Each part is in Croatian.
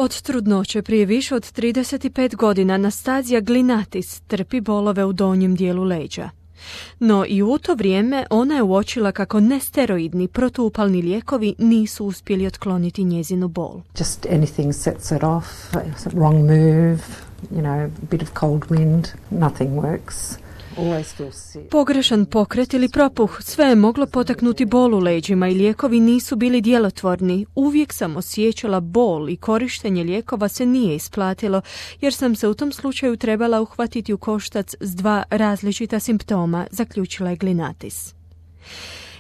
Od trudnoće prije više od 35 godina Anastasia Glinatis trpi bolove u donjem dijelu leđa. No i u to vrijeme ona je uočila kako nesteroidni protuupalni lijekovi nisu uspjeli otkloniti njezinu bol. Just anything sets it off, wrong move, a bit of cold wind, nothing works. Pogrešan pokret ili propuh, sve je moglo potaknuti bol u leđima i lijekovi nisu bili djelotvorni. Uvijek sam osjećala bol i korištenje lijekova se nije isplatilo, jer sam se u tom slučaju trebala uhvatiti u koštac s dva različita simptoma, zaključila je Glinatis.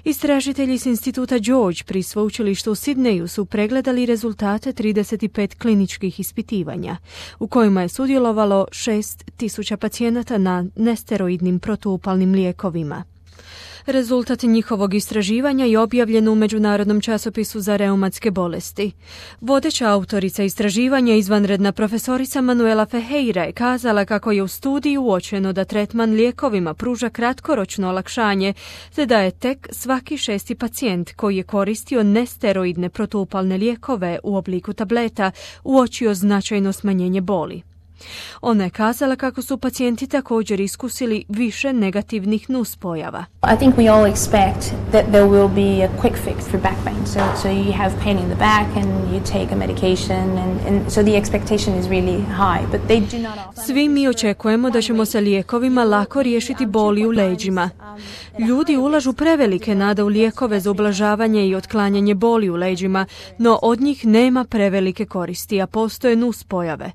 Istražitelji s instituta George pri sveučilištu u Sidneju su pregledali rezultate 35 kliničkih ispitivanja, u kojima je sudjelovalo 6.000 pacijenata na nesteroidnim protuupalnim lijekovima. Rezultat njihovog istraživanja je objavljen u Međunarodnom časopisu za reumatske bolesti. Vodeća autorica istraživanja, izvanredna profesorica Manuela Ferreira, je kazala kako je u studiji uočeno da tretman lijekovima pruža kratkoročno olakšanje, te da je tek svaki 6. pacijent koji je koristio nesteroidne protuupalne lijekove u obliku tableta uočio značajno smanjenje boli. Ona je kazala kako su pacijenti također iskusili više negativnih nuspojava. I think we all expect that there will be a quick fix for back pain. So you have pain in the back and you take a medication and so the expectation is really high, but they do not often. Svi mi očekujemo da ćemo sa lijekovima lako riješiti boli u leđima. Ljudi ulažu prevelike nade u lijekove za ublažavanje i otklanjanje boli u leđima, no od njih nema prevelike koristi, a postoje nuspojave.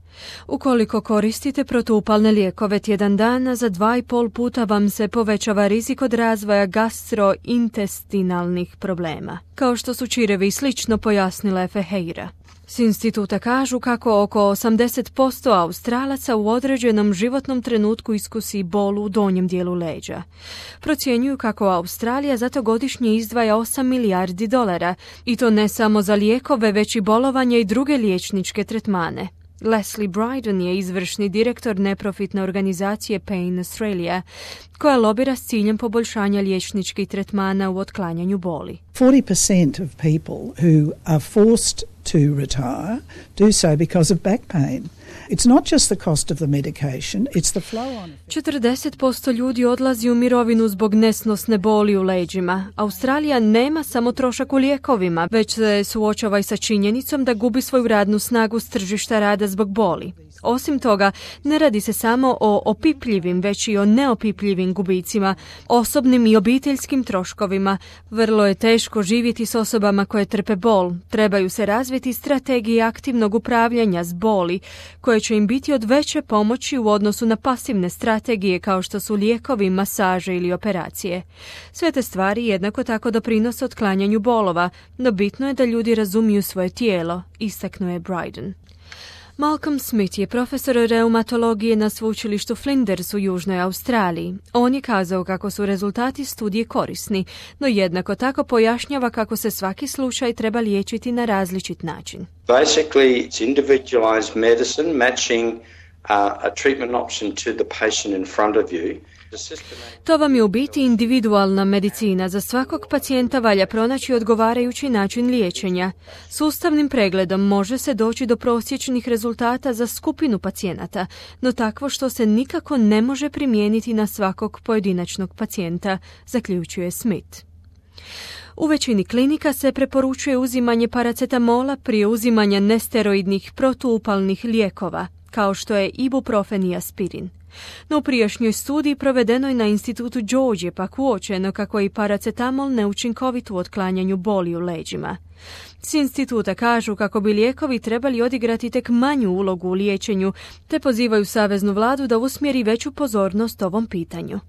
Ukoliko koristite protuupalne lijekove tjedan dana, za 2,5 puta vam se povećava rizik od razvoja gastrointestinalnih problema, kao što su čirevi i slično, pojasnila je Ferreira. S instituta kažu kako oko 80% Australaca u određenom životnom trenutku iskusi bol u donjem dijelu leđa. Procjenjuju kako Australija zato godišnje izdvaja 8 milijardi dolara, i to ne samo za lijekove, već i bolovanje i druge liječničke tretmane. Leslie Bryden je izvršni direktor neprofitne organizacije Pain Australia, koja lobira s ciljem poboljšanja liječničkih tretmana u otklanjanju boli. 40% of people who are forced to retire do so because of back pain. It's not just the cost of the medication, it's the flow on. 40% ljudi odlazi u mirovinu zbog nesnosne boli u leđima. Australija nema samo trošak u lijekovima, već se suočava i sa činjenicom da gubi svoju radnu snagu s tržišta rada zbog boli. Osim toga, ne radi se samo o opipljivim, već i o neopipljivim gubicima, osobnim i obiteljskim troškovima. Vrlo je teško živjeti s osobama koje trpe bol. Trebaju se razviti strategije aktivnog upravljanja s boli, koje će im biti od veće pomoći u odnosu na pasivne strategije kao što su lijekovi, masaže ili operacije. Sve te stvari jednako tako doprinose otklanjanju bolova, no bitno je da ljudi razumiju svoje tijelo, istaknuo je Bryden. Malcolm Smith je profesor reumatologije na sveučilištu Flinders u Južnoj Australiji. On je kazao kako su rezultati studije korisni, no jednako tako pojašnjava kako se svaki slučaj treba liječiti na različit način. Basically, it's individualized medicine matching a treatment option to the patient in front of you. To vam je u biti individualna medicina. Za svakog pacijenta valja pronaći odgovarajući način liječenja. Sustavnim pregledom može se doći do prosječnih rezultata za skupinu pacijenata, no takvo što se nikako ne može primijeniti na svakog pojedinačnog pacijenta, zaključuje Smith. U većini klinika se preporučuje uzimanje paracetamola prije uzimanja nesteroidnih protuupalnih lijekova, kao što je ibuprofen i aspirin. No u prijašnjoj studiji provedenoj na institutu George je pak uočeno kako je i paracetamol neučinkovit u otklanjanju boli u leđima. S instituta kažu kako bi lijekovi trebali odigrati tek manju ulogu u liječenju, te pozivaju saveznu vladu da usmjeri veću pozornost ovom pitanju.